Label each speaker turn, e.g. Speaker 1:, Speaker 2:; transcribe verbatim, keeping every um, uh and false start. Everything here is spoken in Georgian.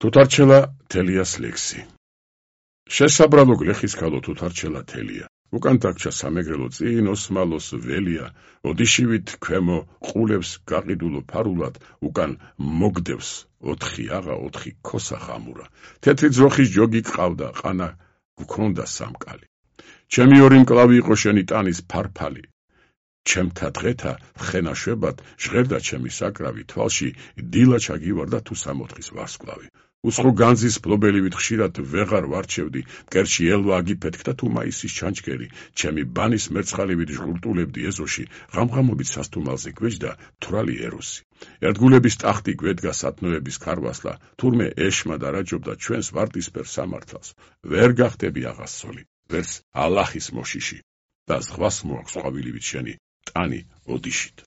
Speaker 1: თუთარჩელა თელიას ლექსი. შესაბრალო გლეხის ქალო თუთარჩელა თელია. უკან დაგჭა სამეგრელო წინ ოსმალოს ველია, ოდიშივით ქვემო ყულებს გაყიდულო ფარულად, უკან მოგდევს ოთხი აღა ოთხი ქოსა ხამურა. თეთრი ძროხის ჯოგი ყავდა, ყანა გქონდა სამკალი. ჩემი ორი მკლავი იყო შენი ტანის ფარფალი. ჩემთა დღეთა ხენაშვებად ჟღერდა ჩემი საკრავი, თვალში დილა ჩაგივარდა თუ სამოთხის ვარსკვლავი. უცხო განძის ფლობელივით ხშირად ვეღარ ვარჩევდი, მკერში ელვა აგიფეთქდა თუ მაისის ჩანჩქერი, ჩემი ბანის მერცხალივით ჟღურტულებდი ეზოში, ღამღამობით სასტუმალზე გვეჯდა თვრალი ეროსი. ერთგულების ტახტი გვედგა სათნოების ქარვასლა, თურმე ეშმა დარაჯობდა ჩვენს ვარდისფერ სამართალს. ვერ გახდები აღასწოლი, ვერც ალახის მოშიში და ზღვას მოაქვს ყვავილივით შენი ტანი ოდიშით.